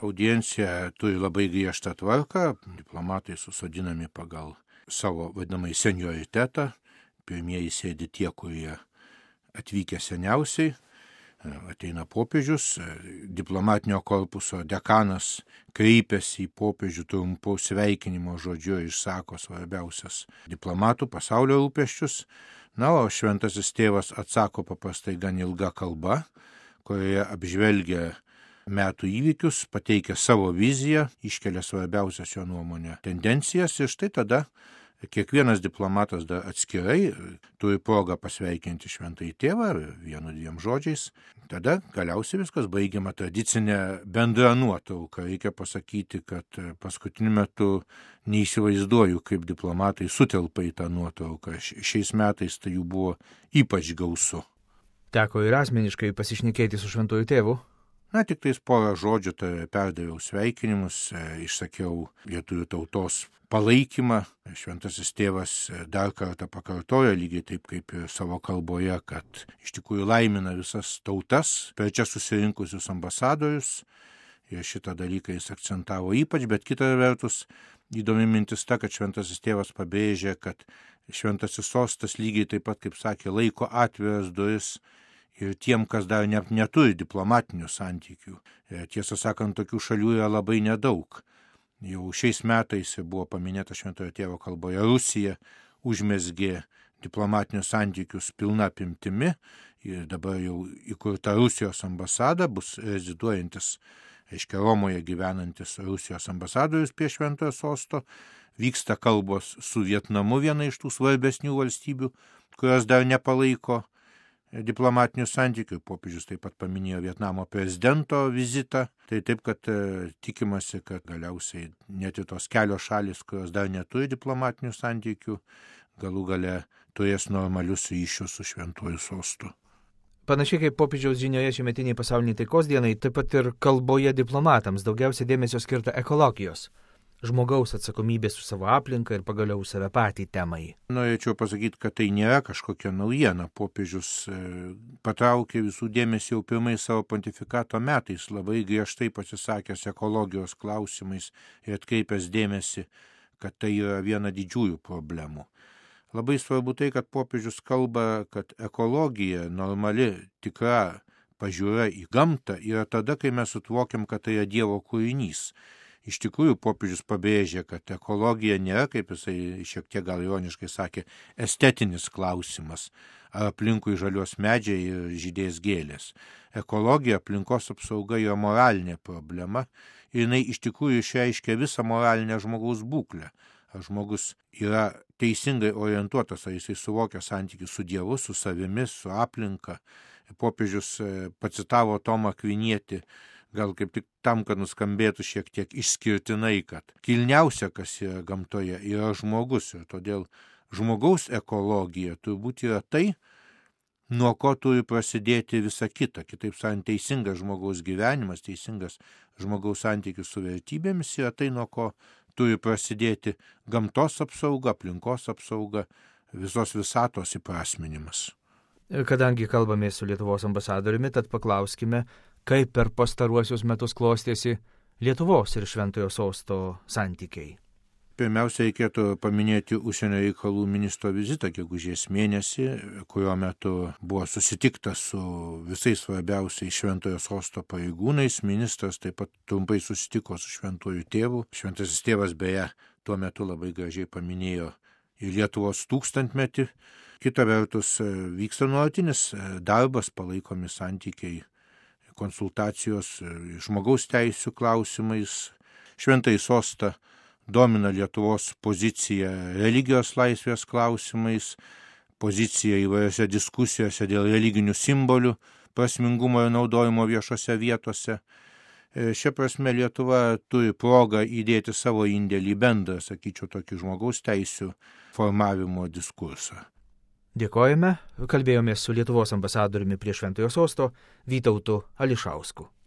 audiencija turi labai griežtą tvarką, diplomatai susodinami pagal savo vadinamai senioritetą, pirmieji sėdi tie, kurie atvykę seniausiai, ateina popiežius, diplomatinio korpuso dekanas kreipiasi į popiežių trumpu sveikinimo žodžiu ir išsako svarbiausias diplomatų pasaulio rūpesčius. Na, o šventasis tėvas atsako paprastai gan ilga kalba, kurioje apžvelgia metų įvykius, pateikia savo viziją, iškelia svarbiausias jo nuomonę tendencijas ir štai tada kiekvienas diplomatas dar atskirai turi progą pasveikinti šventąjį tėvą vienu dviem žodžiais. Tada galiausiai viskas baigiama tradicinė bendra nuotrauka. Reikia pasakyti, kad paskutiniu metu neįsivaizduoju, kaip diplomatai sutelpa į tą nuotrauką. Šiais metais tai jų buvo ypač gausu. Teko ir asmeniškai pasišnekėti su šventuoju tėvu. Na, tik tais porą žodžių perdaviau sveikinimus, išsakiau lietuvių tautos palaikymą. Šventasis tėvas dar kartą pakartojo, lygiai taip kaip ir savo kalboje, kad iš tikrųjų laimina visas tautas, per čia susirinkusius ambasadorius. Ir šitą dalyką jis akcentavo ypač, bet kita vertus įdomi mintis ta, kad šventasis tėvas pabrėžė, kad šventasis sostas lygiai taip pat, kaip sakė, laiko atviras duris ir tiem, kas dar neturi diplomatinių santykių. Tiesą sakant, tokių šalių yra labai nedaug. Jau šiais metais buvo paminėta šventojo tėvo kalboje, Rusija užmezgė diplomatinius santykius pilna apimtimi ir dabar jau įkurta Rusijos ambasada, bus reziduojantis, reiškia Romoje gyvenantis Rusijos ambasadorius prie šventojo sosto. Vyksta kalbos su Vietnamu, viena iš tų svarbesnių valstybių, kurios dar nepalaiko diplomatinių santykių. Popiežius taip pat paminėjo Vietnamo prezidento vizitą. Tai taip, kad tikimasi, kad galiausiai net ir tos kelios šalis, kurios dar neturi diplomatinių santykių, galų gale turės normalius ryšius su šventuoju sostu. Panašiai kaip popiežiaus žinioje šiemetiniai pasauliniai taikos dienai, taip pat ir kalboje diplomatams daugiausiai dėmesio skirta ekologijos, žmogaus atsakomybės už savo aplinką ir pagaliau save patį temai. Norėčiau pasakyti, kad tai nėra kažkokia naujiena. Popiežius patraukė visų dėmesį jau pirmais savo pontifikato metais, labai griežtai pasisakęs ekologijos klausimais ir atkreipęs dėmesį, kad tai yra viena didžiųjų problemų. Labai svarbu tai, kad popiežius kalba, kad ekologija, normali, tikra pažiūra į gamtą yra tada, kai mes suvokiam, kad tai yra Dievo kūrinys. Iš tikrųjų, popiežius pabrėžė, kad ekologija nėra, kaip jisai šiek tiek gal ironiškai sakė, estetinis klausimas, ar aplinkui žalios medžiai ir žydės gėlės. Ekologija, aplinkos apsauga yra moralinė problema ir jinai iš tikrųjų išreiškia visą moralinę žmogaus būklę. Ar žmogus yra teisingai orientuotas, ar jisai suvokia santykių su Dievu, su savimi, su aplinka. Popiežius pacitavo Tomą Akvinietį, gal kaip tik tam, kad nuskambėtų šiek tiek išskirtinai, kad kilniausia, kas yra gamtoje, yra žmogus. Ir todėl žmogaus ekologija turbūt yra tai, nuo ko turi prasidėti visa kita. Kitaip sakant, teisingas žmogaus gyvenimas, teisingas žmogaus santykis su vertybėmis yra tai, nuo ko turi prasidėti gamtos apsauga, aplinkos apsauga, visos visatos įprasminimas. Kadangi kalbame su Lietuvos ambasadoriumi, tad paklauskime, kaip per pastaruosius metus klostėsi Lietuvos ir šventojo sosto santykiai. Pirmiausia, reikėtų paminėti užsienio reikalų ministro vizitą gegužės mėnesį, kurio metu buvo susitikta su visais svarbiausiais šventojo sosto pareigūnais. Ministras taip pat trumpai susitiko su šventuoju tėvu. Šventasis tėvas beje tuo metu labai gražiai paminėjo ir Lietuvos 1000-metį. Kita vertus, vyksta nuolatinis darbas, palaikomi santykiai, konsultacijos žmogaus teisių klausimais. Šventąjį sostą domina Lietuvos pozicija religijos laisvės klausimais, pozicija įvairiose diskusijose dėl religinių simbolių, prasmingumo ir naudojimo viešose vietose. Šia prasme Lietuva turi progą įdėti savo indėlį į bendrą, sakyčiau, tokį žmogaus teisių formavimo diskursą. Dėkojame, kalbėjomės su Lietuvos ambasadoriumi prie šventojo sosto Vytautu Ališausku.